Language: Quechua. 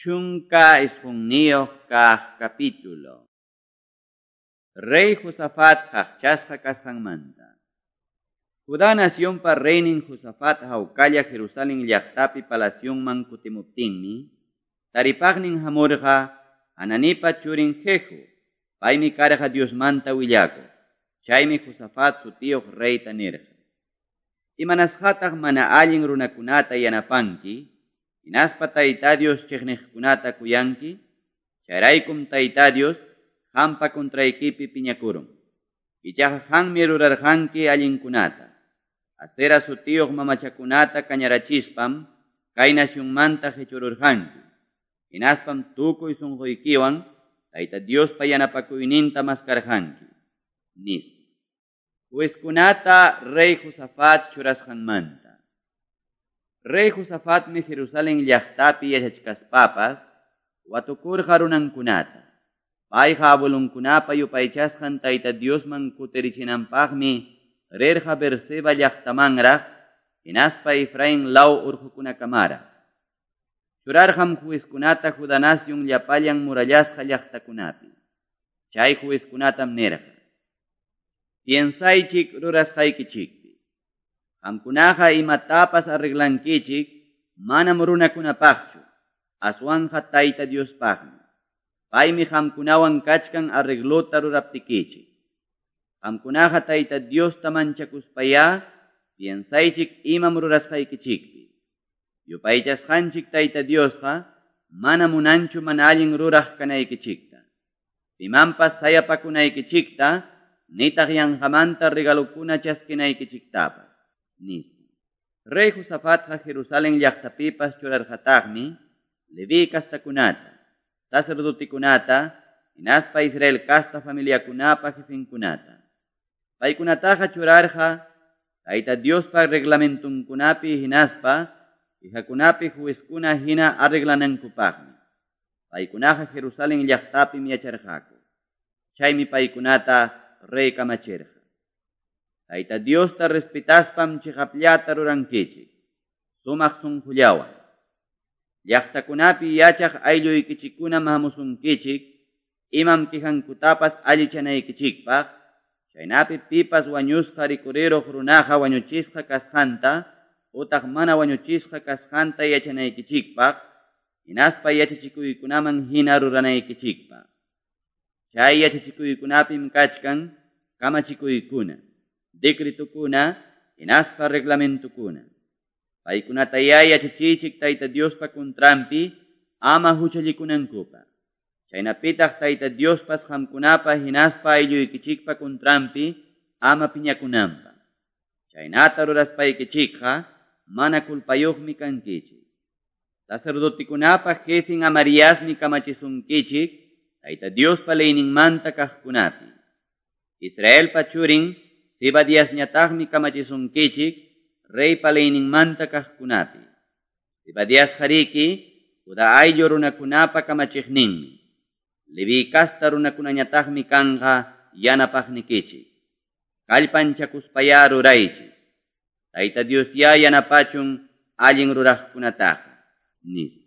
19 kaq capítulo. Rey Josafat qaqchasqa kasqanmanta. Judá nacionpa reynin Josafat hawkalla Jerusalén llaqtapi palacionman kutimuptinmi, taripaqnin hamurqa Hananipa churin Jehu, paymi karqa Diosmanta willakuq. Chaymi Josafat sutiyuq reyta nirqa: Imanasqataq mana allin runakunata yanapanki, hinaspa Tayta Dios chiqniqkunata kuyanki? Chayraykum Tayta Dios qampa contraykipi piñakurun. Ichaqa qanmi rurarqanki allinkunata. Asera sutiyuq mamachakunata kañarachispam kay nacionmanta qichururqanki. Hinaspam tukuy sunquykiwan Tayta Diospa yanapakuyninta maskarqanki, nispa. Juezkunata rey Josafat churasqanmanta. Rey Josafatmi Jerusalén llaqtapi yachachkaspapas watukurqa runankunata. Payqa abuelunkunapa yupaychasqan Tayta Diosman kutirichinanpaqmi rirqa Beerseba llaqtamanraq hinaspa Efraín law urqukunakamaraq. Churarqam juezkunata Judá nación llapallan murallasqa llaqtakunapi. Chay juezkunatam nirqa: Piensaychik rurasqaykichikpi. Qamkunaqa imatapas arreglankichik manam runakunapaqchu, aswanqa Tayta Diospaqmi. Paymi qamkunawan kachkan arreglota ruraptikichik. Qamkunaqa Tayta Diosta manchakuspayá piensaychik imam rurasqaykichikpi. Yupaychasqanchik Tayta Diosqa mana munanchu mana allin ruraq kanaykichikta. Pimanpas sayapakunaykichikta nitaq yanqamanta regalukuna chaskinaykichiktapas, nispa. Rey Josafatqa Jerusalén llaqtapipas churarqataqmi Leví kastakunata, sacerdotekunata, hinaspa Israel kasta familiakunapa jefenkunata. Paykunataqa churarqa Tayta Diospa reglamentunkunapi hinaspa quejakunapi juezkuna hina arreglanankupaqmi. Paykunaqa Jerusalén llaqtapim yacharqaku. Chaymi paykunata rey kamachirqa: Tayta Diosta respetaspam chiqapllata rurankichik, sumaq sunqullawan. Llaqtakunapi yachaq aylluykichikkunam hamusunkichik, imam quejankutapas allichanaykichikpaq, chaynapi pipas wañusqa rikuriruq runaqa wañuchisqa kasqanta utaq mana wañuchisqa kasqanta yachanaykichikpaq, hinaspa yachachikuykunaman hina ruranaykichikpaq. Chay yachachikuykunapim kachkan kamachikuykuna, decretukuna, hinaspa reglamentukuna. Paykunatayá yachachiychik Tayta Diospa contranpi ama huchallikunankupaq. Chaynapitaq Tayta Diospas qamkunapa hinaspa aylluykichikpa contranpi ama piñakunanpaq. Chaynata ruraspaykichikqa mana culpayuqmi kankichik. Sacerdotekunapa jefin Amariasmi kamachisunkichik Tayta Diospa leyninmanta kaqkunapi. Israelpa churin Zebadiasñataqmi kamachisunkichik reypa leyninmanta kaqkunapi. Zebadiasqariki Judá ayllu runakunapa kamachiqninmi. Leví kasta runakunañataqmi kanqa yanapaqnikichik. Kallpanchakuspayá ruraychik. Tayta Diosyá yanapachun allin ruraqkunataqa, nispa.